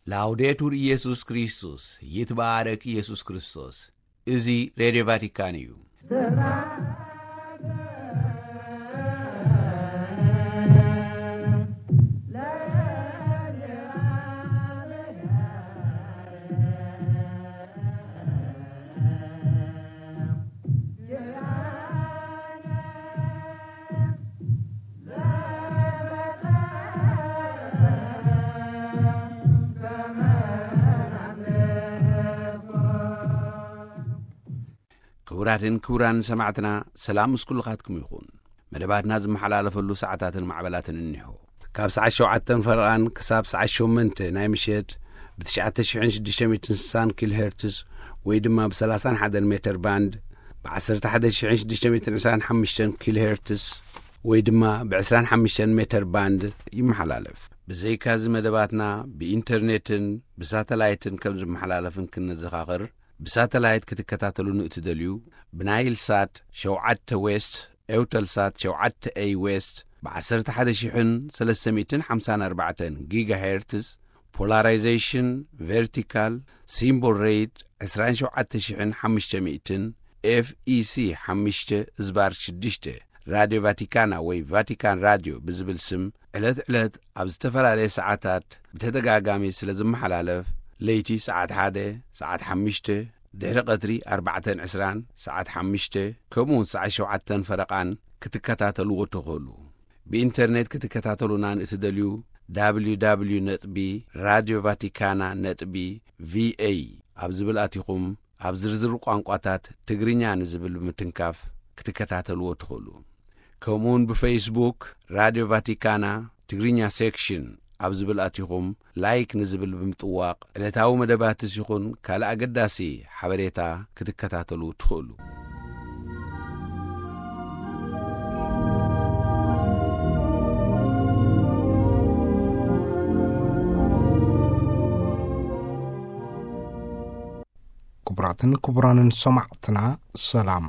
ላውዴቱር ኢየሱስ ክርስቶስ፣ ይትባረክ ኢየሱስ ክርስቶስ። እዚ ሬድዮ ቫቲካን እዩ። ክቡራትን ክቡራን ሰማዕትና፣ ሰላም ምስ ኩልኻትኩም ይኹን። መደባትና ዝመሓላለፈሉ ሰዓታትን ማዕበላትን እኒሆ። ካብ ሰዓት ሸውዓተን ፈረቓን ክሳብ ሰዓት ሸሞንተ ናይ ምሸት ብ ትሽዓተ ሽሕን ሽዱሽተ ሚእትን ስሳን ኪሎ ሄርትስ ወይ ድማ ብ ሰላሳን ሓደን ሜተር ባንድ፣ ብ ዓሰርተ ሓደ ሽሕን ሽዱሽተ ሚእትን ዕስራን ሓሙሽተን ኪሎ ሄርትስ ወይ ድማ ብ ዕስራን ሓሙሽተን ሜተር ባንድ ይመሓላለፍ። ብዘይካዚ መደባትና ብኢንተርኔትን ብሳተላይትን ከም ዝመሓላለፍን ክንዘኻኽር፣ ብሳተላይት ክትከታተሉ ንእትደልዩ፣ ብናይል ሳት ሸውዓተ ዌስት፣ ኤውተል ሳት ሸውዓተ ኤይ ዌስት፣ ብ ዓሰርተ ሓደ ሽሕን ሰለስተ ሚእትን ሓምሳን ኣርባዕተን ጊጋሄርትስ፣ ፖላራይዜሽን ቨርቲካል፣ ሲምቦል ሬት ዕስራን ሸውዓተ ሽሕን ሓሙሽተ ሚእትን፣ ኤፍ ኢ ሲ ሓሙሽተ ዝባር ሽዱሽተ፣ ራድዮ ቫቲካና ወይ ቫቲካን ራድዮ ብዝብል ስም ዕለት ዕለት ኣብ ዝተፈላለየ ሰዓታት ብተደጋጋሚ ስለ ዝመሓላለፍ፣ ለይቲ ሰዓት ሓደ፣ ሰዓት ሓሙሽተ፣ ድሕሪ ቀትሪ ኣርባዕተን ዕስራን፣ ሰዓት ሓሙሽተ፣ ከምኡውን ሰዓት ሸውዓተን ፈረቓን ክትከታተልዎ ትኽእሉ። ብኢንተርኔት ክትከታተሉና ንእትደልዩ፣ www ነጥቢ ራድዮ ቫቲካና ነጥቢ ቪ ኤ ኣብ ዝብል ኣቲኹም፣ ኣብ ዝርዝር ቋንቋታት ትግርኛ ንዝብል ብምትንካፍ ክትከታተልዎ ትኽእሉ። ከምኡውን ብፌስቡክ ራድዮ ቫቲካና ትግርኛ ሴክሽን ኣብ ዝብል ኣቲኹም፣ ላይክ ንዝብል ብምጥዋቕ፣ ዕለታዊ መደባትስ ይኹን ካልእ ኣገዳሲ ሓበሬታ ክትከታተሉ ትኽእሉ። ክቡራትን ክቡራንን ሰማዕትና፣ ሰላም።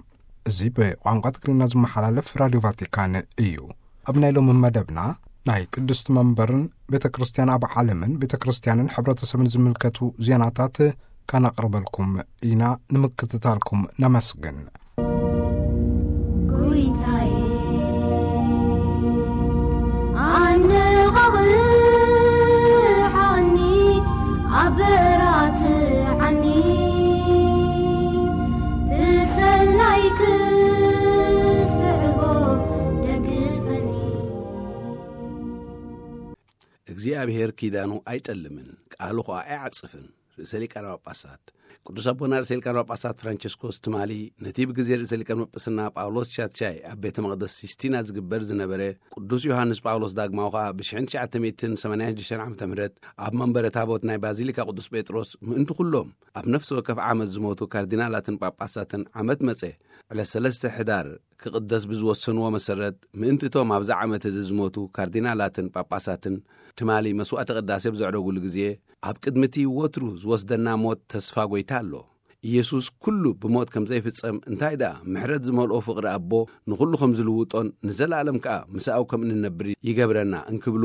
እዚ ብቋንቋ ትግርኛ ዝመሓላለፍ ራድዮ ቫቲካን እዩ። ኣብ ናይ ሎሚ መደብና፣ ናይ ቅድስቲ መንበርን ቤተ ክርስቲያን ኣብ ዓለምን ቤተ ክርስቲያንን ሕብረተሰብን ዝምልከቱ ዜናታት ከነቕርበልኩም ኢና። ንምክትታልኩም ነመስግን። ጎይታዬ፣ ኣነቓቕሓኒ፣ ኣበራትዓኒ፣ ትሰናይ ክስዕቦ ደግፈኒ። እግዚኣብሔር ኪዳኑ ኣይጠልምን፣ ቃሉ ኸኣ ኣይዓጽፍን። ርእሰ ሊቃነ ጳጳሳት ቅዱስ ኣቦና ርእሰ ሊቃነ ጳጳሳት ፍራንቸስኮስ ትማሊ፣ ነቲ ብግዜ ርእሰ ሊቃነ ጳጳስና ጳውሎስ ሻትሻይ ኣብ ቤተ መቕደስ ሲስቲና ዝግበር ዝነበረ፣ ቅዱስ ዮሃንስ ጳውሎስ ዳግማዊ ኸኣ ብሽሕን ትሽዓተ ሚእትን ሰማንያን ሽዱሽተን ዓመተ ምህረት ኣብ መንበረ ታቦት ናይ ባዚሊካ ቅዱስ ጴጥሮስ ምእንቲ ኩሎም ኣብ ነፍሲ ወከፍ ዓመት ዝሞቱ ካርዲናላትን ጳጳሳትን ዓመት መጸ ዕለት ሰለስተ ሕዳር ክቕደስ ብዝወሰንዎ መሰረት፣ ምእንቲ እቶም ኣብዚ ዓመት እዚ ዝሞቱ ካርዲናላትን ጳጳሳትን ትማሊ መስዋዕተ ቅዳሴ ብዘዕረጉሉ ግዜ፣ ኣብ ቅድሚ እቲ ወትሩ ዝወስደና ሞት ተስፋ ጐይታ ኣሎ። ኢየሱስ ኩሉ ብሞት ከም ዘይፍጸም፣ እንታይ ደኣ ምሕረት ዝመልኦ ፍቕሪ ኣቦ ንኹሉ ከም ዝልውጦን ንዘለኣለም ከኣ ምሳኡ ከም እንነብር ይገብረና እንክብሉ፣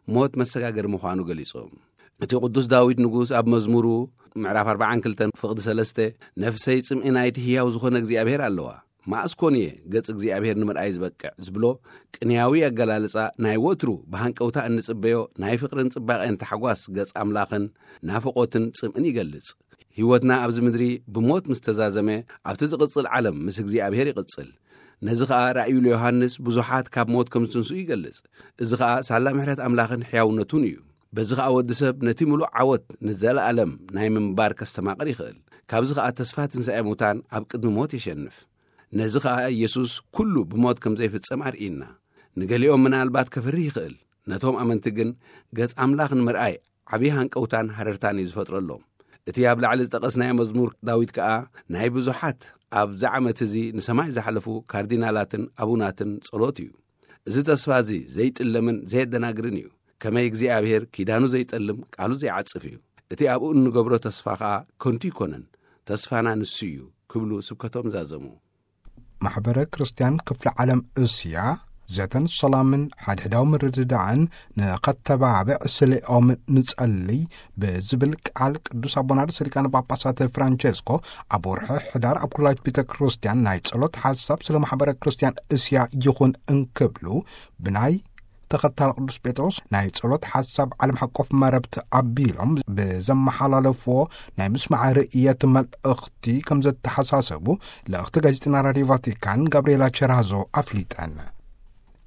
ሞት መሰጋገሪ ምዃኑ ገሊጾም። እቲ ቅዱስ ዳዊት ንጉስ ኣብ መዝሙሩ ምዕራፍ ኣርባዓን ክልተን ፍቕዲ ሰለስተ፣ "ነፍሰይ ጽምኢ ናይቲ ህያው ዝኾነ እግዚኣብሔር ኣለዋ። መኣስ ኮን እየ ገጽ እግዚኣብሔር ንምርኣይ ዝበቅዕ?" ዝብሎ ቅንያዊ ኣገላልጻ፣ ናይ ወትሩ ብሃንቀውታ እንጽበዮ ናይ ፍቕርን ጽባቐን ታሕጓስ ገጽ ኣምላኽን ናፍቖትን ጽምእን ይገልጽ። ህይወትና ኣብዚ ምድሪ ብሞት ምስ ተዛዘመ፣ ኣብቲ ዝቕጽል ዓለም ምስ እግዚኣብሔር ይቕጽል። ነዚ ኸኣ ራእዩ ለዮሃንስ ብዙሓት ካብ ሞት ከም ዝትንስኡ ይገልጽ። እዚ ኸኣ ሳላ ምሕረት ኣምላኽን ሕያውነቱን እዩ። በዚ ኸኣ ወዲ ሰብ ነቲ ምሉእ ዓወት ንዘለኣለም ናይ ምንባር ከስተማቕር ይኽእል። ካብዚ ኸኣ ተስፋ ትንሳኤ ሙታን ኣብ ቅድሚ ሞት የሸንፍ። ነዚ ኸኣ ኢየሱስ ኩሉ ብሞት ከም ዘይፍጸም ኣርእዩና። ንገሊኦም ምናልባት ከፍርህ ይኽእል፣ ነቶም ኣመንቲ ግን ገጽ ኣምላኽ ንምርኣይ ዓብዪ ሃንቀውታን ሃረርታን እዩ ዝፈጥረሎም። እቲ ኣብ ላዕሊ ዝጠቐስናዮ መዝሙር ዳዊት ከኣ ናይ ብዙሓት ኣብዚ ዓመት እዚ ንሰማይ ዝሓለፉ ካርዲናላትን ኣቡናትን ጸሎት እዩ። እዚ ተስፋ እዚ ዘይጥለምን ዘየደናግርን እዩ። ከመይ እግዚኣብሔር ኪዳኑ ዘይጠልም፣ ቃሉ ዘይዓጽፍ እዩ። እቲ ኣብኡ እንገብሮ ተስፋ ኸኣ ከንቱ ኣይኮነን። ተስፋና ንሱ እዩ ክብሉ ስብከቶም ዛዘሙ። ማሕበረ ክርስቲያን ክፍለ ዓለም እስያ ዘተን ሰላምን ሓድሕዳዊ ምርድዳእን ንኸተባብዕ ስሌኦም ንጸልይ ብዝብል ቃል ቅዱስ ኣቦና ርእሰ ሊቃነ ጳጳሳት ፍራንቸስኮ ኣብ ወርሒ ሕዳር ኣብ ኩላይት ቤተ ክርስቲያን ናይ ጸሎት ሓሳብ ስለ ማሕበረ ክርስቲያን እስያ ይኹን እንክብሉ ብናይ ተኸታል ቅዱስ ጴጥሮስ ናይ ጸሎት ሓሳብ ዓለም ሓቆፍ መረብት ኣቢሎም ብዘመሓላለፍዎ ናይ ምስማዕ ርእየት መልእኽቲ ከም ዘተሓሳሰቡ ልእኽቲ ጋዜጠና ራድዮ ቫቲካን ጋብርኤላ ቸራዞ ኣፍሊጠን።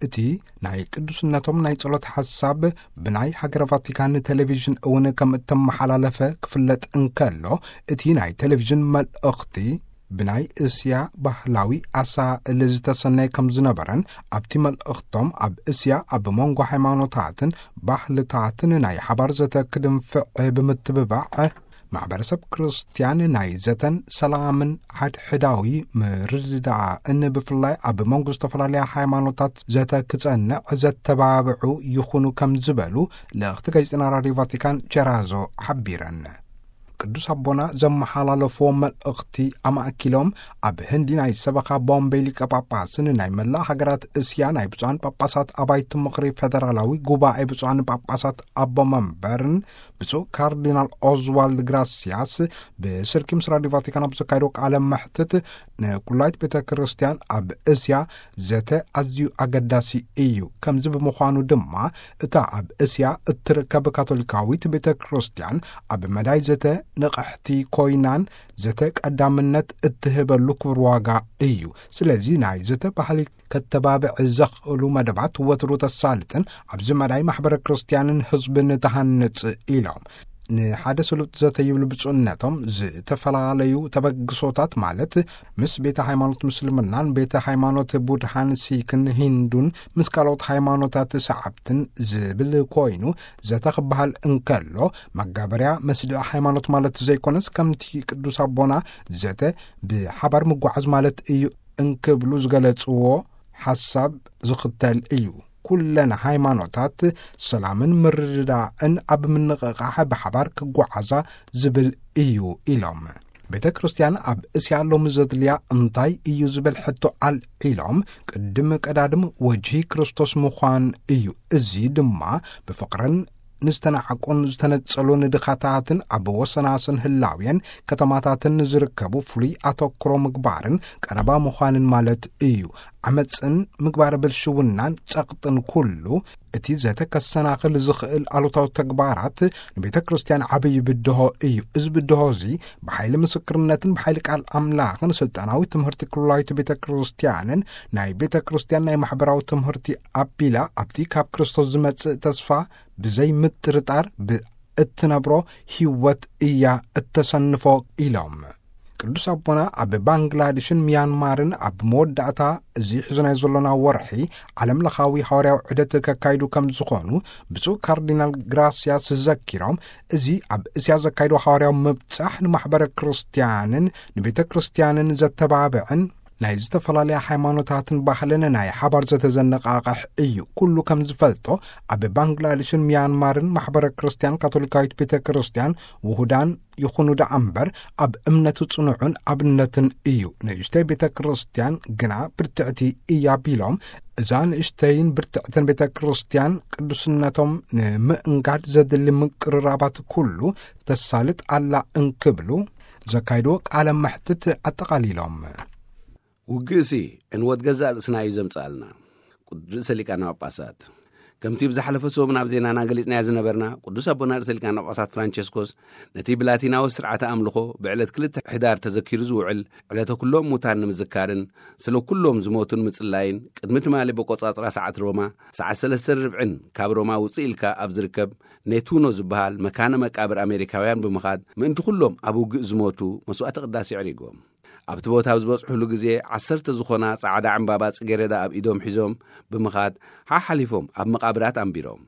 እቲ ናይ ቅዱስነቶም ናይ ጸሎት ሓሳብ ብናይ ሃገረ ቫቲካን ቴሌቪዥን እውን ከም እተመሓላለፈ ክፍለጥ እንከሎ፣ እቲ ናይ ቴሌቪዥን መልእኽቲ ብናይ እስያ ባህላዊ ኣሳእል ዝተሰነየ ከም ዝነበረን፣ ኣብቲ መልእኽቶም ኣብ እስያ ኣብ መንጎ ሃይማኖታትን ባህልታትን ናይ ሓባር ዘተ ክድንፍዕ ብምትብባዕ፣ ማሕበረሰብ ክርስትያን ናይ ዘተን ሰላምን ሓድሕዳዊ ምርድዳእን ብፍላይ ኣብ መንጎ ዝተፈላለያ ሃይማኖታት ዘተ ክጸንዕ ዘተባብዑ ይኹኑ ከም ዝበሉ ልእኽቲ ጋዜጠና ራድዮ ቫቲካን ቸራዞ ሓቢረን። ቅዱስ ኣቦና ዘመሓላለፍዎ መልእኽቲ ኣማእኪሎም፣ ኣብ ህንዲ ናይ ሰበኻ ቦምቤ ሊቀ ጳጳስን ናይ መላእ ሃገራት እስያ ናይ ብፁዓን ጳጳሳት ኣባይቲ ምኽሪ ፌደራላዊ ጉባኤ ብፁዓን ጳጳሳት ኣቦ መንበርን ብፁዕ ካርዲናል ኦዝዋልድ ግራሲያስ ብስልኪ ምስ ራድዮ ቫቲካን ኣብ ዘካየዶ ቃለ መሕትት፣ ንኩላይት ቤተ ክርስቲያን ኣብ እስያ ዘተ ኣዝዩ ኣገዳሲ እዩ። ከምዚ ብምዃኑ ድማ እታ ኣብ እስያ እትርከብ ካቶሊካዊት ቤተ ክርስቲያን ኣብ መዳይ ዘተ ንቕሕቲ ኮይናን ዘተ ቀዳምነት እትህበሉ ክቡር ዋጋ እዩ። ስለዚ ናይ ዘተ ባህሊ ከተባብዕ ዘኽእሉ መደባት ወትሩ ተሳልጥን ኣብዚ መዳይ ማሕበረ ክርስቲያንን ህዝብን ተሃንጽ ኢሎም። ንሓደ ስሉጥ ዘተ ይብሉ ብፁዕነቶም ዝተፈላለዩ ተበግሶታት ማለት ምስ ቤተ ሃይማኖት ምስልምናን ቤተ ሃይማኖት ቡድሃን ሲክን ሂንዱን ምስ ካልኦት ሃይማኖታት ሰዓብትን ዝብል ኮይኑ ዘተ ክበሃል እንከሎ መጋበርያ መስድዕ ሃይማኖት ማለት ዘይኮነስ ከምቲ ቅዱስ ኣቦና ዘተ ብሓባር ምጓዓዝ ማለት እዩ እንክብሉ ዝገለጽዎ ሓሳብ ዝኽተል እዩ። ኩለን ሃይማኖታት ሰላምን ምርድዳእን ኣብ ምንቕቓሕ ብሓባር ክጓዓዛ ዝብል እዩ ኢሎም። ቤተ ክርስቲያን ኣብ እስያ ሎሚ ዘድልያ እንታይ እዩ ዝብል ሕቶ ኣልዒሎም፣ ቅድም ቀዳድም ወጅሂ ክርስቶስ ምዃን እዩ። እዚ ድማ ብፍቕርን ንዝተናዕቁን ዝተነጸሉን ድኻታትን ኣብ ወሰናስን ህላውየን ከተማታትን ንዝርከቡ ፍሉይ ኣተኩሮ ምግባርን ቀረባ ምዃንን ማለት እዩ። ዓመጽን ምግባረ ብልሽውናን ጸቕጥን ኩሉ እቲ ዘተ ከሰናኽል ዝኽእል ኣሉታዊ ተግባራት ንቤተ ክርስቲያን ዓብዪ ብድሆ እዩ። እዚ ብድሆ እዚ ብሓይሊ ምስክርነትን ብሓይሊ ቃል ኣምላኽን ስልጣናዊ ትምህርቲ ኩላዊት ቤተ ክርስቲያንን ናይ ቤተ ክርስቲያን ናይ ማሕበራዊ ትምህርቲ ኣቢላ ኣብቲ ካብ ክርስቶስ ዝመጽእ ተስፋ ብዘይ ምጥርጣር ብእትነብሮ ህይወት እያ እተሰንፎ ኢሎም። ቅዱስ ኣቦና ኣብ ባንግላዴሽን ሚያንማርን ኣብ መወዳእታ እዚ ሕዚ ናይ ዘሎና ወርሒ ዓለም ለኻዊ ሃዋርያዊ ዑደት ከካይዱ ከም ዝኾኑ ብፁዕ ካርዲናል ግራሲያስ ዘኪሮም፣ እዚ ኣብ እስያ ዘካይዶ ሃዋርያዊ ምብጻሕ ንማሕበረ ክርስቲያንን ንቤተ ክርስቲያንን ዘተባብዕን ናይ ዝተፈላለያ ሃይማኖታትን ባህልን ናይ ሓባር ዘተዘነቃቕሕ እዩ። ኩሉ ከም ዝፈልጦ ኣብ ባንግላዴሽን ሚያንማርን ማሕበረ ክርስቲያን ካቶሊካዊት ቤተ ክርስቲያን ውሁዳን ይኹኑ ደኣ እምበር ኣብ እምነቱ ጽኑዑን ኣብነትን እዩ። ንእሽተይ ቤተ ክርስቲያን ግና ብርትዕቲ እያ ቢሎም፣ እዛ ንእሽተይን ብርትዕትን ቤተ ክርስቲያን ቅዱስነቶም ንምእንጋድ ዘድሊ ምቅርራባት ኩሉ ተሳልጥ ኣላ እንክብሉ ዘካይድዎ ቃለ መሕትት ኣጠቓሊሎም። ውግእሲ ዕንወት ገዛእ ርእስና እዩ ዘምጽኣልና። ቅዱስ ርእሰ ሊቃነ ጳጳሳት ከምቲ ብዝሓለፈ ሰሙን ኣብ ዜናና ገሊጽናዮ ዝነበርና፣ ቅዱስ ኣቦና ርእሰ ሊቃነ ጳጳሳት ፍራንቸስኮስ ነቲ ብላቲናዊ ስርዓተ ኣምልኾ ብዕለት ክልተ ሕዳር ተዘኪሩ ዝውዕል ዕለተ ኩሎም ሙታን ንምዝካርን ስለ ኩሎም ዝሞቱን ምጽላይን፣ ቅድሚ ትማሊ በቆጻጽራ ሰዓት ሮማ ሰዓት ሰለስተን ርብዕን ካብ ሮማ ውጽእ ኢልካ ኣብ ዝርከብ ኔቱኖ ዝበሃል መካነ መቃብር ኣሜሪካውያን ብምኻድ ምእንቲ ኩሎም ኣብ ውግእ ዝሞቱ መስዋዕተ ቅዳሴ ኣዕሪጎም። ኣብቲ ቦታ ኣብ ዝበጽሑሉ ግዜ ዓሰርተ ዝኾና ጻዕዳ ዕምባባ ጽጌረዳ ኣብ ኢዶም ሒዞም ብምኻድ ሓሓሊፎም ኣብ መቃብራት ኣንቢሮም።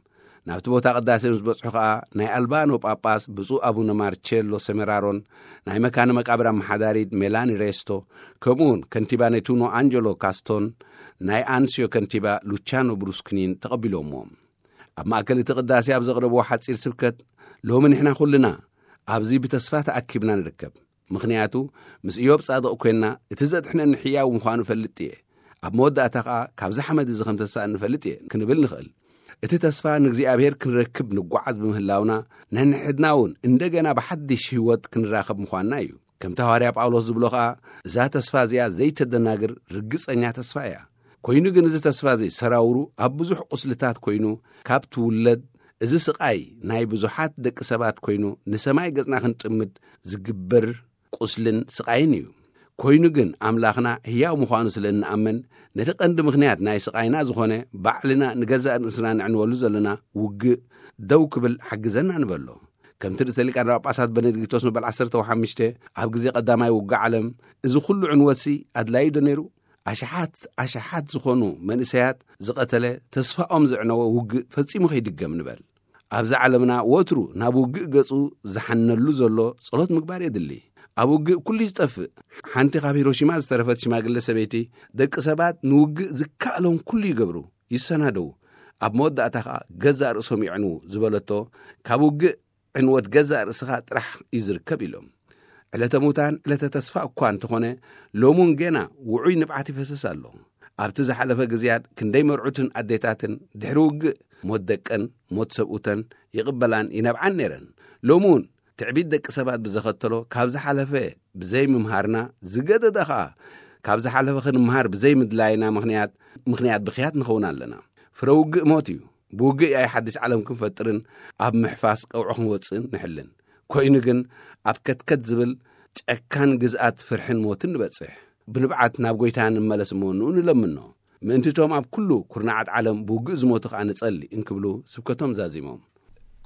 ናብቲ ቦታ ቅዳሴ ምስ በጽሑ ኸኣ ናይ ኣልባኖ ጳጳስ ብፁዕ ኣቡነ ማርቼሎ ሰሜራሮን ናይ መካነ መቃብር ኣመሓዳሪት ሜላኒ ሬስቶ ከምኡውን ከንቲባ ኔቱኖ ኣንጀሎ ካስቶን ናይ ኣንስዮ ከንቲባ ሉቻኖ ብሩስክኒን ተቐቢሎምዎም። ኣብ ማእከል እቲ ቅዳሴ ኣብ ዘቕረብዎ ሓጺር ስብከት፣ ሎሚ ንሕና ኩልና ኣብዚ ብተስፋ ተኣኪብና ንርከብ። ምኽንያቱ ምስ ኢዮብ ጻድቕ ኴንና እቲ ዘድሕነኒ ሕያው ምዃኑ እፈልጥ እየ። ኣብ መወዳእታ ከኣ ካብዚ ሓመድ እዚ ከም ተሳእ ንፈልጥ እየ ክንብል ንኽእል። እቲ ተስፋ ንእግዚኣብሔር ክንረክብ ንጓዓዝ ብምህላውና፣ ነንሕድና እውን እንደገና ብሓድሽ ህይወት ክንራኸብ ምዃንና እዩ። ከምቲ ሃዋርያ ጳውሎስ ዝብሎ ኸኣ፣ እዛ ተስፋ እዚኣ ዘይተደናግር ርግጸኛ ተስፋ እያ። ኮይኑ ግን እዚ ተስፋ እዚ ሰራውሩ ኣብ ብዙሕ ቁስልታት ኮይኑ፣ ካብ ትውለድ፣ እዚ ስቓይ ናይ ብዙሓት ደቂ ሰባት ኮይኑ፣ ንሰማይ ገጽና ክንጥምድ ዝግበር ቁስልን ስቓይን እዩ። ኮይኑ ግን ኣምላኽና ህያው ምዃኑ ስለ እንኣምን፣ ነቲ ቀንዲ ምኽንያት ናይ ስቓይና ዝኾነ ባዕልና ንገዛእ ርእስና ንዕንወሉ ዘለና ውግእ ደው ክብል ሓግዘና ንበሎ። ከምቲ ርእሰ ሊቃነ ጳጳሳት በነዲክቶስ መበል ዓሰርተ ሓሙሽተ ኣብ ግዜ ቀዳማይ ውግእ ዓለም፣ እዚ ኩሉ ዕንወትሲ ኣድላዩ ዶ ነይሩ? ኣሽሓት ኣሽሓት ዝኾኑ መንእሰያት ዝቐተለ፣ ተስፋኦም ዘዕነወ ውግእ ፈጺሙ ከይድገም ንበል። ኣብዚ ዓለምና ወትሩ ናብ ውግእ ገጹ ዝሓነሉ ዘሎ ጸሎት ምግባር የድሊ። ኣብ ውግእ ኩሉ እዩ ዝጠፍእ። ሓንቲ ካብ ሂሮሺማ ዝተረፈት ሽማግለ ሰበይቲ፣ "ደቂ ሰባት ንውግእ ዝከኣሎም ኩሉ ይገብሩ፣ ይሰናደዉ፣ ኣብ መወዳእታ ኸኣ ገዛእ ርእሶም የዕንዉ" ዝበለቶ፣ ካብ ውግእ ዕንወት ገዛእ ርእስኻ ጥራሕ እዩ ዝርከብ ኢሎም። ዕለተ ሙታን ዕለተ ተስፋ እኳ እንተኾነ፣ ሎሙን ጌና ውዑይ ንብዓት ይፈስስ ኣሎ። ኣብቲ ዝሓለፈ ግዜያት ክንደይ መርዑትን ኣዴታትን ድሕሪ ውግእ ሞት ደቀን፣ ሞት ሰብኡተን ይቕበላን ይነብዓን ነይረን። ሎሚ እውን ትዕቢት ደቂ ሰባት ብዘኸተሎ ካብ ዝሓለፈ ብዘይምምሃርና፣ ዝገደደ ኸኣ ካብ ዝሓለፈ ክንምሃር ብዘይምድላይና ምኽንያት፣ ምኽንያት ብኽያት ንኸውን ኣለና። ፍረ ውግእ ሞት እዩ። ብውግእ ኣይ ሓድሽ ዓለም ክንፈጥርን ኣብ ምሕፋስ ቀውዖ ክንወጽእን ንሕልን። ኮይኑ ግን ኣብ ከትከት ዝብል ጨካን ግዝኣት ፍርሕን ሞትን ንበጽሕ። ብንብዓት ናብ ጐይታ ንመለስ እሞ ንኡ ንለምኖ። ምእንቲ እቶም ኣብ ኩሉ ኩርናዓት ዓለም ብውግእ ዝሞቱ ኸኣ ንጸሊ እንክብሉ ስብከቶም ዛዚሞም።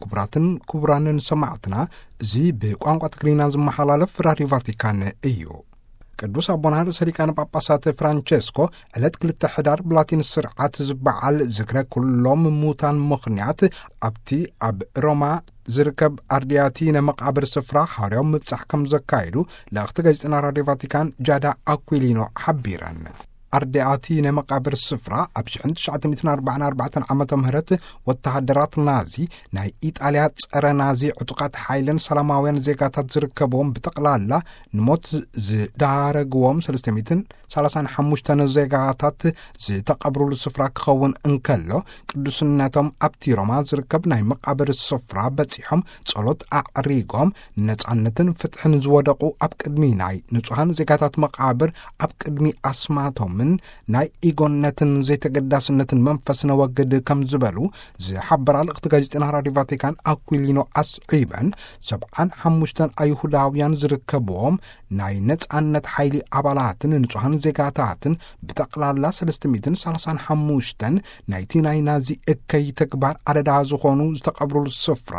ክቡራትን ክቡራንን ሰማዕትና፣ እዚ ብቋንቋ ትግርኛ ዝመሓላለፍ ራድዮ ቫቲካን እዩ። ቅዱስ ኣቦና ርእሰ ሊቃነ ጳጳሳት ፍራንቸስኮ ዕለት ክልተ ሕዳር ብላቲን ስርዓት ዝበዓል ዝክረ ኩሎም ሙታን ምኽንያት ኣብቲ ኣብ ሮማ ዝርከብ ኣርድያቲነ መቓብር ስፍራ ሓዋርያዊ ምብጻሕ ከም ዘካየዱ ልእኽቲ ጋዜጠና ራድዮ ቫቲካን ጃዳ ኣኩሊኖ ሓቢረን። ኣርድያቲነ መቓብር ስፍራ ኣብ ሽሕን ትሽዓተ ሚእትን ኣርባዓን ኣርባዕተን ዓመተ ምህረት ወተሃደራት ናዚ ናይ ኢጣልያ ጸረ ናዚ ዕጡቓት ሓይልን ሰላማውያን ዜጋታት ዝርከብዎም ብጠቕላላ ንሞት ዝዳረግዎም ሰለስተ ሚእትን ሰላሳን ሓሙሽተን ዜጋታት ዝተቐብሩሉ ስፍራ ክኸውን እንከሎ፣ ቅዱስነቶም ኣብቲ ሮማ ዝርከብ ናይ መቓብር ስፍራ በጺሖም ጸሎት ኣዕሪጎም፣ ነጻነትን ፍትሕን ዝወደቑ ኣብ ቅድሚ ናይ ንጹሃን ዜጋታት መቓብር ኣብ ቅድሚ ኣስማቶምን ናይ ኢጎነትን ዘይተገዳስነትን መንፈስ ነወግድ ከም ዝበሉ ዝሓበራ ልእኽቲ ጋዜጠና ራድዮ ቫቲካን ኣኩሊኖ ኣስዒበን፣ ሰብዓን ሓሙሽተን ኣይሁዳውያን ዝርከብዎም ናይ ነጻነት ሓይሊ ኣባላትን ንጹሃን ዜጋታትን ብጠቕላላ ሰለስተ ሚእትን ሰላሳን ሓሙሽተን ናይቲ ናይ ናዚ እከይ ተግባር ኣደዳ ዝኾኑ ዝተቐብሩሉ ስፍራ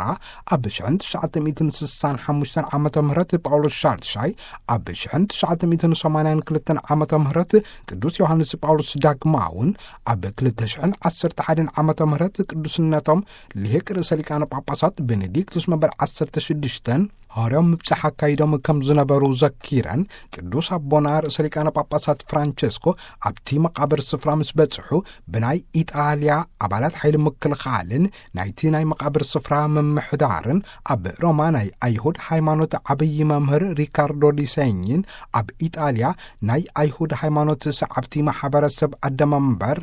ኣብ ሽሕን ትሽዓተ ሚእትን ስሳን ሓሙሽተን ዓመተ ምህረት ጳውሎስ ሻድሻይ፣ ኣብ ሽሕን ትሽዓተ ሚእትን ሰማንያን ክልተን ዓመተ ምህረት ቅዱስ ዮሃንስ ጳውሎስ ዳግማውን ኣብ ክልተ ሽሕን ዓሰርተ ሓደን ዓመተ ምህረት ቅዱስነቶም ልሂቅ ርእሰ ሊቃነ ጳጳሳት ቤኔዲክቱስ መበል ዓሰርተ ሽዱሽተን ሃዋርያዊ ምብጻሕ ኣካይዶም ከም ዝነበሩ ዘኪረን፣ ቅዱስ ኣቦና ርእሰ ሊቃነ ጳጳሳት ፍራንቸስኮ ኣብቲ መቓብር ስፍራ ምስ በጽሑ፣ ብናይ ኢጣልያ ኣባላት ሓይሊ ምክልኻልን ናይቲ ናይ መቓብር ስፍራ ምምሕዳርን ኣብ ሮማ ናይ ኣይሁድ ሃይማኖት ዓብዪ መምህር ሪካርዶ ዲሴኝን ኣብ ኢጣልያ ናይ ኣይሁድ ሃይማኖት ሰዓብቲ ማሕበረሰብ ኣደመንበር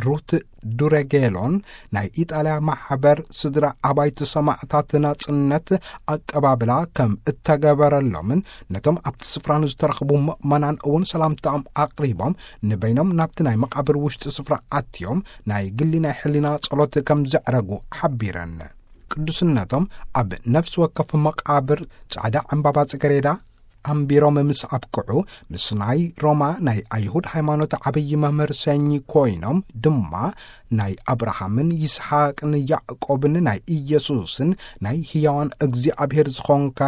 ሩት ዱረጌሎን ናይ ኢጣልያ ማሕበር ስድራ ኣባይቲ ሰማዕታት ናጽነት ኣቀባብላ ከም እተገበረሎምን ነቶም ኣብቲ ስፍራ ንዝተረኽቡ ምእመናን እውን ሰላምታኦም ኣቕሪቦም ንበይኖም ናብቲ ናይ መቓብር ውሽጢ ስፍራ ኣትዮም ናይ ግሊ ናይ ሕሊና ጸሎት ከም ዘዕረጉ ሓቢረን። ቅዱስነቶም ኣብ ነፍሲ ወከፍ መቓብር ጻዕዳ ዕምባባ ጽገሬዳ ኣንቢሮም ምስ ኣብቅዑ፣ ምስ ናይ ሮማ ናይ ኣይሁድ ሃይማኖት ዓብዪ መምህር ሰኚ ኮይኖም ድማ ናይ ኣብርሃምን ይስሓቅን ያዕቆብን ናይ ኢየሱስን ናይ ህያዋን እግዚኣብሔር ዝኾንካ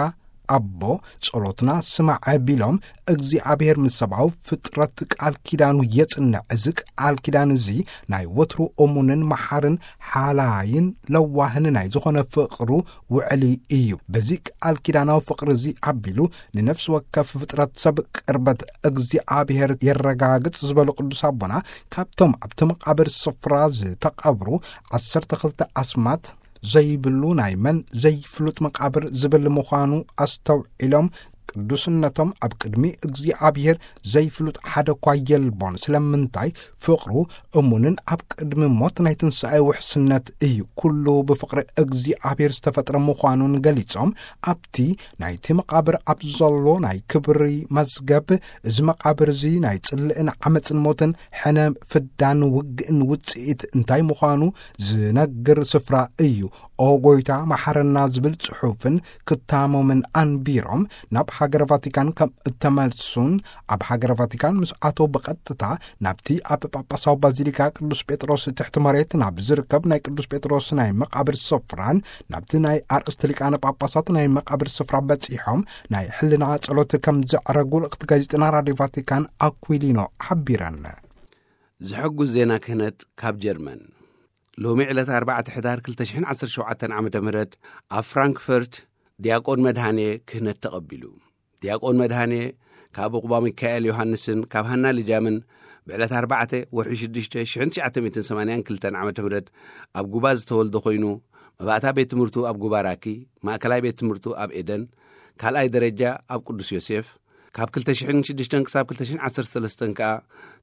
ኣቦ፣ ጸሎትና ስማዕ ቢሎም፣ እግዚኣብሔር ምስ ሰብኣዊ ፍጥረት ቃል ኪዳኑ የጽንዕ። እዚ ቃል ኪዳን እዚ ናይ ወትሩ እሙንን መሓርን ሓላይን ለዋህን ናይ ዝኾነ ፍቕሩ ውዕሊ እዩ። በዚ ቃል ኪዳናዊ ፍቕሪ እዚ ኣቢሉ ንነፍሲ ወከፍ ፍጥረት ሰብ ቅርበት እግዚኣብሔር የረጋግጽ ዝበሉ ቅዱስ ኣቦና፣ ካብቶም ኣብቲ መቓብር ስፍራ ዝተቐብሩ ዓሰርተ ክልተ ኣስማት ዘይብሉ ናይ መን ዘይፍሉጥ መቓብር ዝብል ምዃኑ ኣስተውዒሎም፣ ቅዱስነቶም ኣብ ቅድሚ እግዚኣብሔር ዘይፍሉጥ ሓደ እኳ የልቦን። ስለምንታይ? ፍቕሩ እሙንን ኣብ ቅድሚ ሞት ናይ ትንሣኤ ውሕስነት እዩ። ኩሉ ብፍቕሪ እግዚኣብሔር ዝተፈጥረ ምዃኑን ገሊጾም፣ ኣብቲ ናይቲ መቓብር ኣብ ዘሎ ናይ ክብሪ መዝገብ፣ እዚ መቓብር እዚ ናይ ጽልእን ዓመጽን ሞትን ሕነ ፍዳን ውግእን ውጽኢት እንታይ ምዃኑ ዝነግር ስፍራ እዩ። ኦ ጎይታ መሓረና ዝብል ጽሑፍን ክታሞምን ኣንቢሮም ናብ ሃገረ ቫቲካን ከም እተመልሱን፣ ኣብ ሃገረ ቫቲካን ምስ ኣተው ብቐጥታ ናብቲ ኣብ ጳጳሳዊ ባዚሊካ ቅዱስ ጴጥሮስ ትሕቲ መሬት ናብ ዝርከብ ናይ ቅዱስ ጴጥሮስ ናይ መቓብር ስፍራን ናብቲ ናይ ኣርእስቲ ሊቃነ ጳጳሳት ናይ መቓብር ስፍራ በጺሖም ናይ ሕልና ጸሎት ከም ዘዕረጉ ልእኽቲ ጋዜጠና ራድዮ ቫቲካን ኣኩሊኖ ሓቢረን። ዝሕጉስ ዜና ክህነት ካብ ጀርመን። ሎሚ ዕለት ኣርባዕተ ሕዳር ክልተ ሽሕን ዓሰርተ ሸውዓተን ዓመተ ምህረት ኣብ ፍራንክፈርት ዲያቆን መድሃኔ ክህነት ተቐቢሉ። ዲያቆን መድሃኔ ካብ ቁባ ሚካኤል ዮሃንስን ካብ ሃና ልጃምን ብዕለት ኣርባዕተ ወርሒ ሽዱሽተ ሽሕን ትሽዓተ ሚእትን ሰማንያን ክልተን ዓመተ ምህረት ኣብ ጉባ ዝተወልደ ኮይኑ፣ መባእታ ቤት ትምህርቱ ኣብ ጉባ ራኪ፣ ማእከላይ ቤት ትምህርቱ ኣብ ኤደን፣ ካልኣይ ደረጃ ኣብ ቅዱስ ዮሴፍ፣ ካብ ክልተ ሽሕን ሽዱሽተን ክሳብ ክልተ ሽሕን ዓሰርተ ሰለስተን ከኣ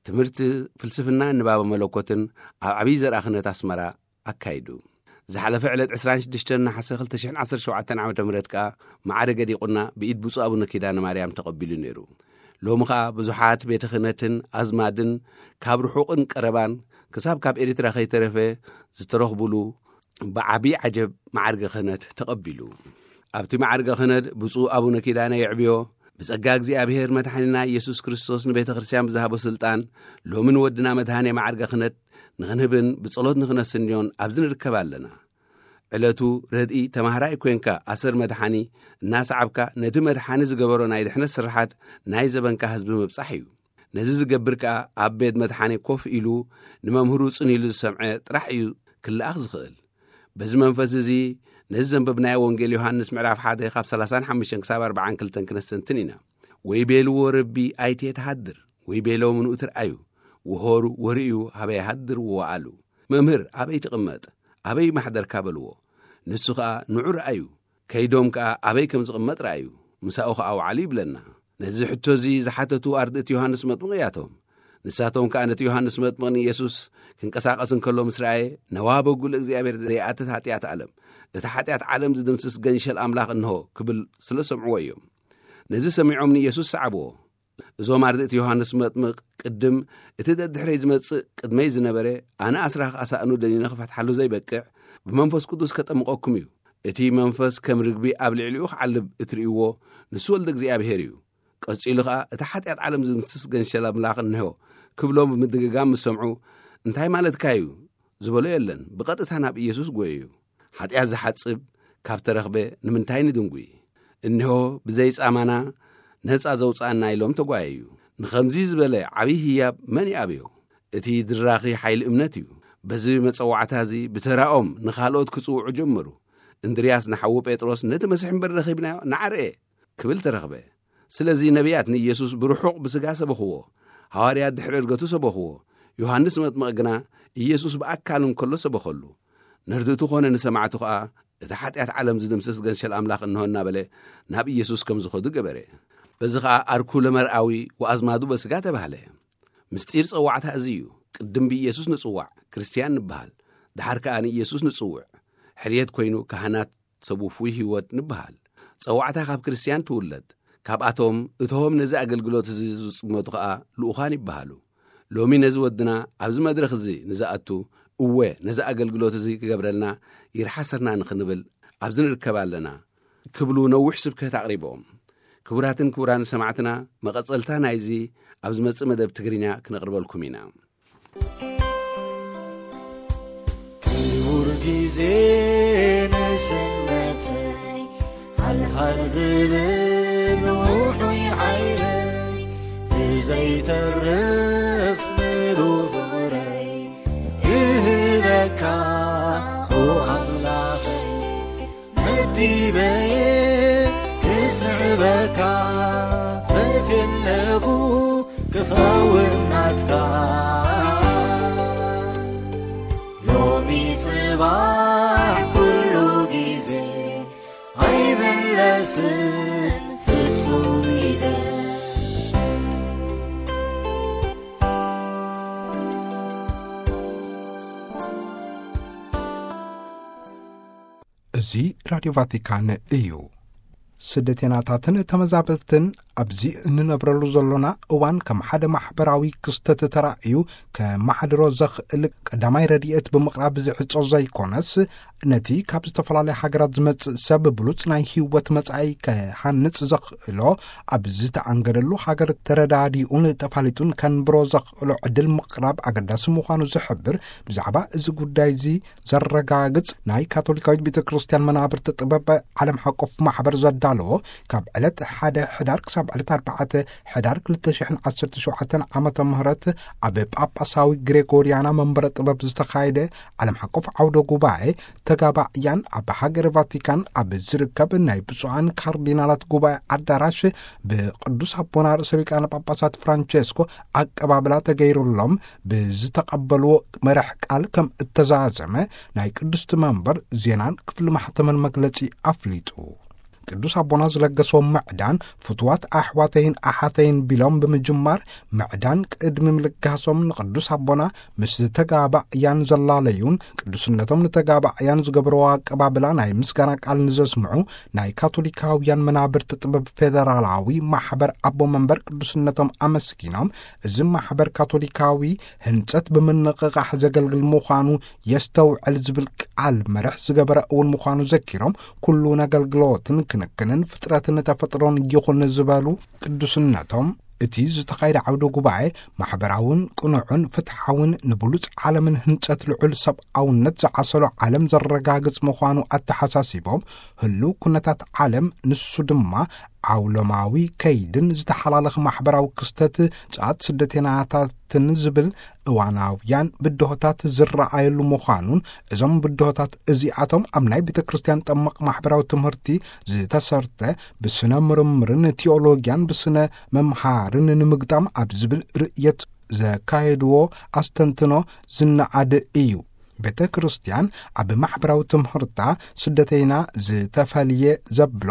ትምህርቲ ፍልስፍና፣ ንባበ መለኮትን ኣብ ዓብዪ ዘርኣ ክህነት ኣስመራ ኣካይዱ። ዝሓለፈ ዕለት ዕስራን ሽዱሽተን ነሓሰ ክልተ ሽሕን ዓሰርተ ሸውዓተን ዓመተ ምህረት ከኣ ማዕረገ ዲቁና ብኢድ ብፁዕ ኣቡነ ኪዳነ ማርያም ተቐቢሉ ነይሩ። ሎሚ ከኣ ብዙሓት ቤተ ክህነትን ኣዝማድን ካብ ርሑቕን ቀረባን ክሳብ ካብ ኤርትራ ከይተረፈ ዝተረኽቡሉ ብዓቢ ዓጀብ ማዕርገ ክህነት ተቐቢሉ። ኣብቲ ማዕርገ ክህነት ብፁዕ ኣቡነ ኪዳነ የዕብዮ፣ ብጸጋ እግዚኣብሔር መድሓኒና ኢየሱስ ክርስቶስ ንቤተ ክርስቲያን ብዝሃቦ ስልጣን፣ ሎሚ ንወድና መድሃኔ ማዕርገ ክህነት ንኽንህብን ብጸሎት ንኽነስንዮን ኣብዚ ንርከብ ኣለና። ዕለቱ ረድኢ ተማሃራይ ኮንካ ኣሰር መድሓኒ እናሰዓብካ ነቲ መድሓኒ ዝገበሮ ናይ ድሕነት ስርሓት ናይ ዘበንካ ህዝቢ ምብጻሕ እዩ። ነዚ ዝገብር ከኣ ኣብ ቤት መድሓኒ ኮፍ ኢሉ ንመምህሩ ጽን ኢሉ ዝሰምዐ ጥራሕ እዩ ክለኣኽ ዝኽእል። በዚ መንፈስ እዚ ነዚ ዘንበብናዮ ወንጌል ዮሃንስ ምዕራፍ ሓደ ካብ ሰላሳን ሓሙሽተን ክሳብ ኣርባዓን ክልተን ክነስተንትን ኢና። ወይ ቤልዎ ረቢ ኣይቴ ተሃድር፣ ወይ ቤሎም ንኡ ትርኣዩ፣ ወሆሩ ወርእዩ ሃበይ ሃድር ወወኣሉ። መምህር ኣበይ ትቕመጥ? ኣበይ ማሕደርካ በልዎ። ንሱ ኸኣ ንዑ ረኣዩ። ከይዶም ከኣ ኣበይ ከም ዝቕመጥ ረኣዩ። ምሳኡ ኸኣ ወዓሉ ይብለና። ነዚ ሕቶ እዚ ዝሓተቱ ኣርድእቲ ዮሃንስ መጥምቕ እያቶም። ንሳቶም ከኣ ነቲ ዮሃንስ መጥምቕ ንኢየሱስ ክንቀሳቐስ እንከሎ ምስ ረኣየ፣ ነዋ በጉ ለእግዚኣብሔር ዘይኣትት ሓጢኣት ዓለም፣ እቲ ሓጢኣት ዓለም ዝድምስስ ገንሸል ኣምላኽ እንሆ ክብል ስለ ሰምዕዎ እዮም። ነዚ ሰሚዖም ንኢየሱስ ሰዓብዎ። እዞም ኣርድእቲ ዮሃንስ መጥምቕ ቅድም እቲ ደድሕረይ ዝመጽእ ቅድመይ ዝነበረ፣ ኣነ ኣስራኽ ኣሳእኑ ደኒነ ክፈትሓሉ ዘይበቅዕ፣ ብመንፈስ ቅዱስ ከጠምቐኩም እዩ። እቲ መንፈስ ከም ርግቢ ኣብ ልዕሊኡ ክዓልብ እትርእይዎ፣ ንሱ ወልደ እግዚኣብሔር እዩ። ቀጺሉ ኸኣ፣ እቲ ሓጢኣት ዓለም ዝምስስ ገንሸል ኣምላኽ እንሆ ክብሎም ብምድግጋም ምስ ሰምዑ፣ እንታይ ማለትካ እዩ ዝበሎ የለን። ብቐጥታ ናብ ኢየሱስ ጐየዩ። ሓጢኣት ዝሓጽብ ካብ ተረኽበ ንምንታይ ንድንጉይ? እንሆ ብዘይ ጻማና ነጻ ዘውጽኣና ኢሎም ተጓየዩ። ንኸምዚ ዝበለ ዓብዪ ህያብ መን ይኣብዮ? እቲ ድራኺ ሓይሊ እምነት እዩ። በዚ መጸዋዕታ እዚ ብተራኦም ንኻልኦት ክጽውዑ ጀመሩ። እንድርያስ ንሓዉ ጴጥሮስ፣ ነቲ መሲሕ እምበር ረኺብናዮ ንዓርኤ ክብል ተረኽበ። ስለዚ ነቢያት ንኢየሱስ ብርሑቕ ብስጋ ሰበኽዎ። ሃዋርያት ድሕሪ ዕርገቱ ሰበኽዎ። ዮሃንስ መጥምቕ ግና ኢየሱስ ብኣካል እንከሎ ሰበኸሉ። ነርድእቱ ኾነ ንሰማዕቱ ኸኣ፣ እቲ ሓጢኣት ዓለም ዝድምስስ ገንሸል ኣምላኽ እንሆ እናበለ ናብ ኢየሱስ ከም ዝኸዱ ገበረ። በዚ ኸኣ ኣርኩ ለመርኣዊ ወኣዝማዱ በስጋ ተባህለ። ምስጢር ጸዋዕታ እዚ እዩ። ቅድም ብኢየሱስ ንጽዋዕ፣ ክርስትያን ንበሃል። ደሓር ከኣ ንኢየሱስ ንጽውዕ፣ ሕርየት ኮይኑ ካህናት ሰብ ውፉይ ህይወት ንበሃል። ጸዋዕታ ካብ ክርስትያን ትውለድ። ካብኣቶም እቶም ነዚ ኣገልግሎት እዚ ዝጽመቱ ኸኣ ልኡኻን ይበሃሉ። ሎሚ ነዚ ወድና ኣብዚ መድረኽ እዚ ንዝኣቱ፣ እወ፣ ነዚ ኣገልግሎት እዚ ክገብረልና ይርሓሰና ንኽንብል ኣብዚ ንርከብ ኣለና ክብሉ ነዊሕ ስብከት ኣቕሪቦም። ክቡራትን ክቡራን ሰማዕትና፣ መቐጸልታ ናይዚ ኣብ ዝመጽእ መደብ ትግርኛ ክነቕርበልኩም ኢና። ክቡር ግዜ ንስነተይ ሓልሓል ዝብል ውዑይ ሓይለይ ብዘይተርፍ ምሉ ፍቕረይ ክህበካ ኦ ኣምላኸይ። መዲበየ ክስዕበካ ፈትየለኹ ክኸውን ናትካ። ሎሚ ጽባሕ ኩሉ ግዜ ኣይምለስን ፍጹም እዚ ራድዮ ቫቲካን እዩ። ስደተናታትን ተመዛበልትን ኣብዚ እንነብረሉ ዘሎና እዋን ከም ሓደ ማሕበራዊ ክስተት ተራእዩ ከመሓድሮ ዘኽእል ቀዳማይ ረድኤት ብምቕራብ ዝዕጾ ዘይኮነስ፣ ነቲ ካብ ዝተፈላለያ ሃገራት ዝመጽእ ሰብ ብሉጽ ናይ ህይወት መጻኢ ከሃንጽ ዘኽእሎ ኣብ ዝተኣንገደሉ ሃገር ተረዳዲኡን ተፋሊጡን ከንብሮ ዘኽእሎ ዕድል ምቕራብ ኣገዳሲ ምዃኑ ዝሕብር፣ ብዛዕባ እዚ ጉዳይ እዚ ዘረጋግጽ ናይ ካቶሊካዊት ቤተ ክርስቲያን መናብርቲ ጥበብ ዓለም ሓቆፍ ማሕበር ዘዳለዎ፣ ካብ ዕለት ሓደ ሕዳር ክሳብ ዕለት ኣርባዕተ ሕዳር ክልተ ሽሕን ዓሰርተ ሸውዓተን ዓመተ ምህረት ኣብ ጳጳሳዊ ግሬጎሪያና መንበረ ጥበብ ዝተኻየደ ዓለም ሓቆፍ ዓውደ ጉባኤ፣ ተጋባእያን ኣብ ሃገረ ቫቲካን ኣብ ዝርከብ ናይ ብፁዓን ካርዲናላት ጉባኤ ኣዳራሽ ብቅዱስ ኣቦና ርእሰ ሊቃነ ጳጳሳት ፍራንቸስኮ ኣቀባብላ ተገይሩሎም ብዝተቐበልዎ መራሕ ቃል ከም እተዛዘመ ናይ ቅድስቲ መንበር ዜናን ክፍሊ ማሕተምን መግለጺ ኣፍሊጡ። ቅዱስ ኣቦና ዝለገስዎም ምዕዳን ፍቱዋት ኣሕዋተይን ኣሓተይን ቢሎም ብምጅማር፣ ምዕዳን ቅድሚ ምልጋሶም ንቅዱስ ኣቦና ምስ ተጋባእያን ዘላለዩን፣ ቅዱስነቶም ንተጋባእያን ዝገብርዎ ኣቀባብላ ናይ ምስጋና ቃል ንዘስምዑ ናይ ካቶሊካውያን መናብርቲ ጥበብ ፌደራላዊ ማሕበር ኣቦ መንበር ቅዱስነቶም ኣመስጊኖም፣ እዚ ማሕበር ካቶሊካዊ ህንጸት ብምንቕቓሕ ዘገልግል ምዃኑ የስተውዕል ዝብል ቃል መርሕ ዝገበረ እውን ምዃኑ ዘኪሮም፣ ኩሉ ነገልግሎትን ክንክንን ፍጥረትን ተፈጥሮን ይኹን ዝበሉ ቅዱስነቶም፣ እቲ ዝተኻየደ ዓውደ ጉባኤ ማሕበራውን ቅኑዕን ፍትሓውን ንብሉጽ ዓለምን ህንጸት ልዑል ሰብኣውነት ዝዓሰሎ ዓለም ዘረጋግጽ ምዃኑ ኣተሓሳሲቦም፣ ህሉው ኩነታት ዓለም ንሱ ድማ ዓውሎማዊ ከይድን ዝተሓላለኸ ማሕበራዊ ክስተት ጸዓት ስደተናታትን ዝብል እዋናውያን ብድሆታት ዝረኣየሉ ምዃኑን፣ እዞም ብድሆታት እዚኣቶም ኣብ ናይ ቤተ ክርስቲያን ጠመቕ ማሕበራዊ ትምህርቲ ዝተሰርተ፣ ብስነ ምርምርን ቲኦሎጊያን ብስነ መምሃርን ንምግጣም ኣብ ዝብል ርእየት ዘካየድዎ ኣስተንትኖ ዝነኣድ እዩ። ቤተ ክርስቲያን ኣብ ማሕበራዊ ትምህርታ ስደተይና ዝተፈልየ ዘብሎ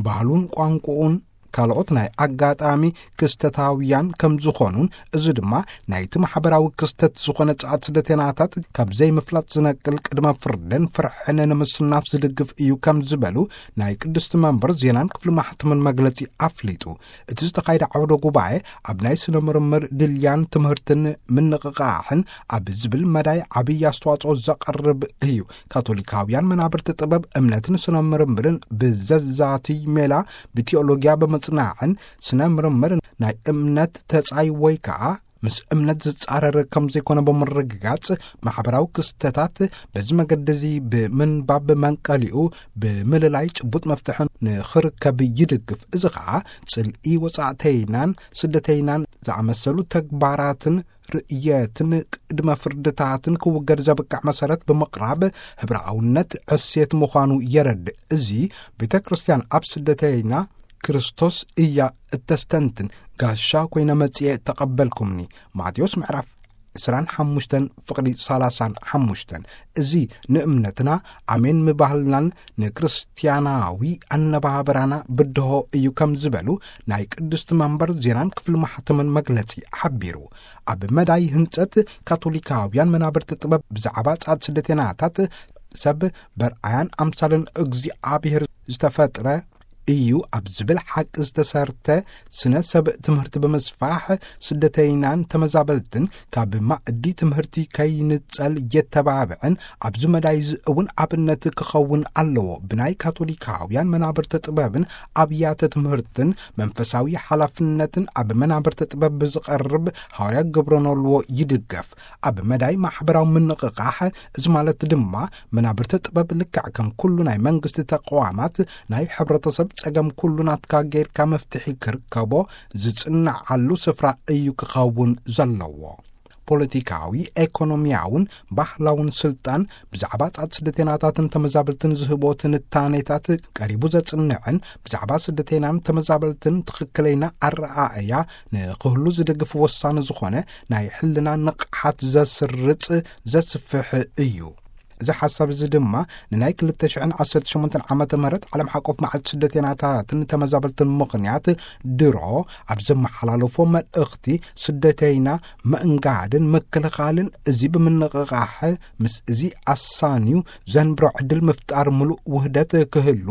ባህሉን ቋንቋኡን ካልኦት ናይ ኣጋጣሚ ክስተታውያን ከም ዝኾኑን፣ እዚ ድማ ናይቲ ማሕበራዊ ክስተት ዝኾነ ጸዓት ስደተናታት ካብ ዘይምፍላጥ ዝነቅል ቅድመ ፍርድን ፍርሕን ንምስናፍ ዝድግፍ እዩ ከም ዝበሉ ናይ ቅድስቲ መንበር ዜናን ክፍሊ ማሕተምን መግለጺ ኣፍሊጡ። እቲ ዝተኻየደ ዓውደ ጉባኤ ኣብ ናይ ስነ ምርምር ድልያን ትምህርትን ምንቕቓሕን ኣብ ዝብል መዳይ ዓብዪ ኣስተዋጽኦ ዘቐርብ እዩ። ካቶሊካውያን መናብርቲ ጥበብ እምነትን ስነ ምርምርን ብዘዛትይ ሜላ ብቲኦሎጊያ ብምጽናዕን ስነ ምርምር ናይ እምነት ተጻይ ወይ ከኣ ምስ እምነት ዝጻረር ከም ዘይኮነ ብምርግጋጽ፣ ማሕበራዊ ክስተታት በዚ መገዲ እዚ ብምንባብ መንቀሊኡ ብምልላይ ጭቡጥ መፍትሒ ንኽርከብ ይድግፍ። እዚ ኸኣ ጽልኢ ወጻእተይናን ስደተይናን ዝኣመሰሉ ተግባራትን ርእየትን ቅድመ ፍርድታትን ክውገድ ዘብቅዕ መሰረት ብምቕራብ ህብረኣውነት ዕሴት ምዃኑ የረድእ። እዚ ቤተ ክርስቲያን ኣብ ስደተይና ክርስቶስ እያ እተስተንትን፣ ጋሻ ኮይነ መጽየ ተቐበልኩምኒ። ማቴዎስ ምዕራፍ ዕስራን ሓሙሽተን ፍቕዲ ሰላሳን ሓሙሽተን። እዚ ንእምነትና ኣሜን ምባህልናን ንክርስቲያናዊ ኣነባብራና ብድሆ እዩ ከም ዝበሉ ናይ ቅድስቲ መንበር ዜናን ክፍሊ ማሕተምን መግለጺ ሓቢሩ። ኣብ መዳይ ህንጸት ካቶሊካውያን መናብርቲ ጥበብ ብዛዕባ ጻዕት ስደተናታት ሰብ በርኣያን ኣምሳልን እግዚኣብሔር ዝተፈጥረ እዩ ኣብ ዝብል ሓቂ ዝተሰርተ ስነ ሰብ ትምህርቲ ብምስፋሕ ስደተይናን ተመዛበልትን ካብ ማእዲ ትምህርቲ ከይንጸል የተባብዕን ኣብዚ መዳይ እዚ እውን ኣብነት ክኸውን ኣለዎ። ብናይ ካቶሊካውያን መናብርቲ ጥበብን ኣብያተ ትምህርትን መንፈሳዊ ሓላፍነትን ኣብ መናብርቲ ጥበብ ብዝቐርብ ሃዋርያ ግብረ ኖልዎ ይድገፍ። ኣብ መዳይ ማሕበራዊ ምንቕቓሕ፣ እዚ ማለት ድማ መናብርቲ ጥበብ ልክዕ ከም ኩሉ ናይ መንግስቲ ተቋማት ናይ ሕብረተሰብ ጸገም ኩሉ ናትካ ጌርካ መፍትሒ ክርከቦ ዝጽንዓሉ ስፍራ እዩ ክኸውን ዘለዎ። ፖለቲካዊ፣ ኤኮኖሚያውን ባህላውን ስልጣን ብዛዕባ ጻት ስደተናታትን ተመዛበልትን ዝህቦ ትንታኔታት ቀሪቡ ዘጽንዕን ብዛዕባ ስደተናን ተመዛበልትን ትኽክለይና ኣረኣእያ ንክህሉ ዝደግፍ ወሳኒ ዝኾነ ናይ ሕልና ንቕሓት ዘስርጽ ዘስፍሕ እዩ። እዚ ሓሳብ እዚ ድማ ንናይ ክልተ ሽሕን ዓሰርተ ሸሞንተን ዓመተ ምህረት ዓለም ሓቆፍ መዓልቲ ስደተይናታትን ተመዛበልትን ምኽንያት ድሮ ኣብ ዘመሓላለፎ መልእኽቲ፣ ስደተይና ምእንጋድን ምክልኻልን እዚ ብምንቕቓሕ ምስ እዚ ኣሳንዩ ዘንብሮ ዕድል ምፍጣር ምሉእ ውህደት ክህሉ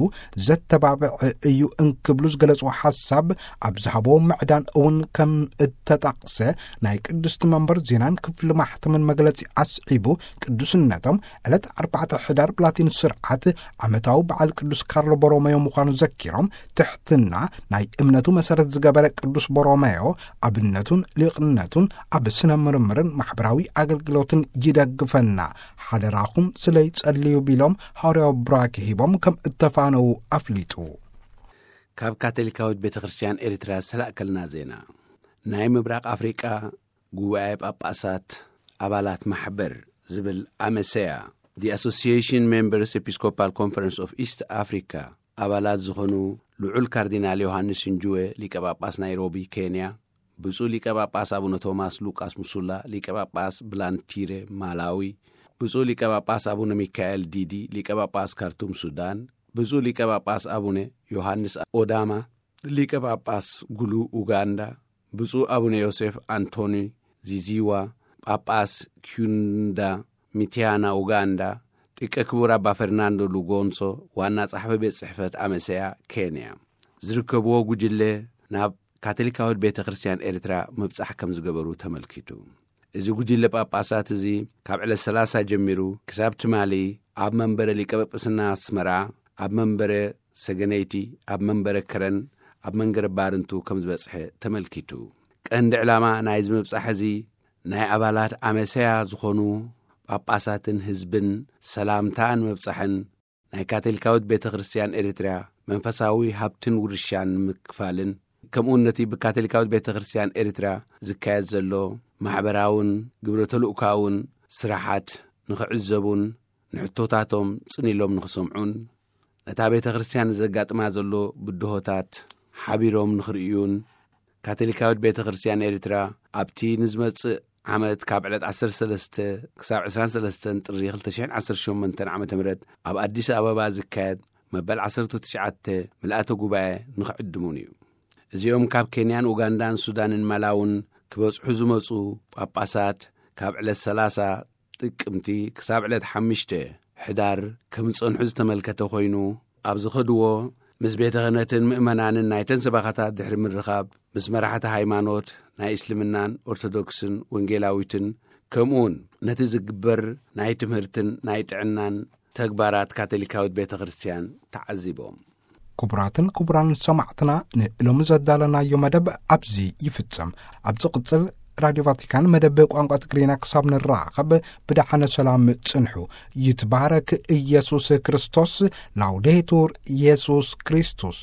ዘተባብዕ እዩ እንክብሉ ዝገለጽዎ ሓሳብ ኣብ ዝሃቦ ምዕዳን እውን ከም እተጠቕሰ ናይ ቅድስቲ መንበር ዜናን ክፍሊ ማሕተምን መግለጺ ኣስዒቡ፣ ቅዱስነቶም ዕለት ኣርባዕተ ሕዳር ብላቲን ስርዓት ዓመታዊ በዓል ቅዱስ ካርሎ ቦሮመዮ ምዃኑ ዘኪሮም፣ ትሕትና ናይ እምነቱ መሰረት ዝገበረ ቅዱስ ቦሮመዮ ኣብነቱን ሊቕነቱን ኣብ ስነ ምርምርን ማሕበራዊ ኣገልግሎትን ይደግፈና፣ ሓደራኹም ስለይ ጸልዩ ቢሎም ሃዋርያዊ ቡራኬ ሂቦም ከም እተፋነዉ ኣፍሊጡ። ካብ ካቶሊካዊት ቤተ ክርስቲያን ኤርትራ ዝተላእከልና ዜና። ናይ ምብራቕ ኣፍሪቃ ጉባኤ ጳጳሳት ኣባላት ማሕበር ዝብል ኣመሰያ፣ The Association Members Episcopal Conference of East Africa፣ ኣባላት ዝኾኑ ልዑል ካርዲናል ዮሃንስ እንጅወ፣ ሊቀ ጳጳስ ናይሮቢ ኬንያ፣ ብፁዕ ሊቀ ጳጳስ ኣቡነ ቶማስ ሉቃስ ሙሱላ፣ ሊቀ ጳጳስ ብላንቲረ ማላዊ፣ ብፁዕ ሊቀ ጳጳስ ኣቡነ ሚካኤል ዲዲ፣ ሊቀ ጳጳስ ካርቱም ሱዳን፣ ብፁዕ ሊቀ ጳጳስ ኣቡነ ዮሃንስ ኦዳማ፣ ሊቀ ጳጳስ ጉሉ ኡጋንዳ፣ ብፁዕ ኣቡነ ዮሴፍ ኣንቶኒ ዚዚዋ፣ ጳጳስ ኪዩንዳ ሚቲያና ኡጋንዳ፣ ሊቀ ክቡር ኣባ ፈርናንዶ ሉጎንሶ፣ ዋና ጸሓፊ ቤት ጽሕፈት ኣመሰያ ኬንያ ዝርከብዎ ጉጅለ ናብ ካቶሊካዊት ቤተ ክርስቲያን ኤርትራ ምብጻሕ ከም ዝገበሩ ተመልኪቱ። እዚ ጉጅለ ጳጳሳት እዚ ካብ ዕለት ሰላሳ ጀሚሩ ክሳብ ትማሊ ኣብ መንበረ ሊቀ ጳጳስና ኣስመራ፣ ኣብ መንበረ ሰገነይቲ፣ ኣብ መንበረ ከረን፣ ኣብ መንገረ ባርንቱ ከም ዝበጽሐ ተመልኪቱ። ቀንዲ ዕላማ ናይዚ ምብጻሕ እዚ ናይ ኣባላት ኣመሰያ ዝኾኑ ጳጳሳትን ህዝብን ሰላምታ ንምብጻሕን ናይ ካቶሊካዊት ቤተ ክርስቲያን ኤርትራ መንፈሳዊ ሃብትን ውርሻን ንምክፋልን፣ ከምኡውን ነቲ ብካቶሊካዊት ቤተ ክርስቲያን ኤርትራ ዝካየድ ዘሎ ማሕበራውን ግብረ ተልእኮኣውን ስራሓት ንኽዕዘቡን ንሕቶታቶም ጽን ኢሎም ንኽሰምዑን፣ ነታ ቤተ ክርስቲያን ዘጋጥማ ዘሎ ብድሆታት ሓቢሮም ንኽርእዩን፣ ካቶሊካዊት ቤተ ክርስቲያን ኤርትራ ኣብቲ ንዝመጽእ ዓመት ካብ ዕለት ዓሰርተ ሰለስተ ክሳብ ዕስራን ሰለስተን ጥሪ ክልተ ሽሕን ዓሰርተ ሸሞንተን ዓመተ ምህረት ኣብ ኣዲስ ኣበባ ዝካየድ መበል ዓሰርተ ትሽዓተ ምልኣተ ጉባኤ ንኽዕድሙን እዩ። እዚኦም ካብ ኬንያን ኡጋንዳን ሱዳንን ማላውን ክበጽሑ ዝመጹ ጳጳሳት ካብ ዕለት ሰላሳ ጥቅምቲ ክሳብ ዕለት ሓሙሽተ ሕዳር ከም ዝጸንሑ ዝተመልከተ ኮይኑ፣ ኣብ ዝኸድዎ ምስ ቤተ ክህነትን ምእመናንን ናይተን ሰበኻታት ድሕሪ ምርኻብ፣ ምስ መራሕቲ ሃይማኖት ናይ እስልምናን ኦርቶዶክስን ወንጌላዊትን፣ ከምኡውን ነቲ ዝግበር ናይ ትምህርትን ናይ ጥዕናን ተግባራት ካቶሊካዊት ቤተ ክርስቲያን ተዓዚቦም። ክቡራትን ክቡራን ሰማዕትና፣ ንሎሚ ዘዳለናዮ መደብ ኣብዚ ይፍጸም። ኣብ ዝቕጽል ራድዮ ቫቲካን መደብ ቋንቋ ትግርኛ ክሳብ ንራኸብ ብደሓነ ሰላም ጽንሑ። ይትባረክ ኢየሱስ ክርስቶስ። ላውዴቱር ኢየሱስ ክርስቶስ።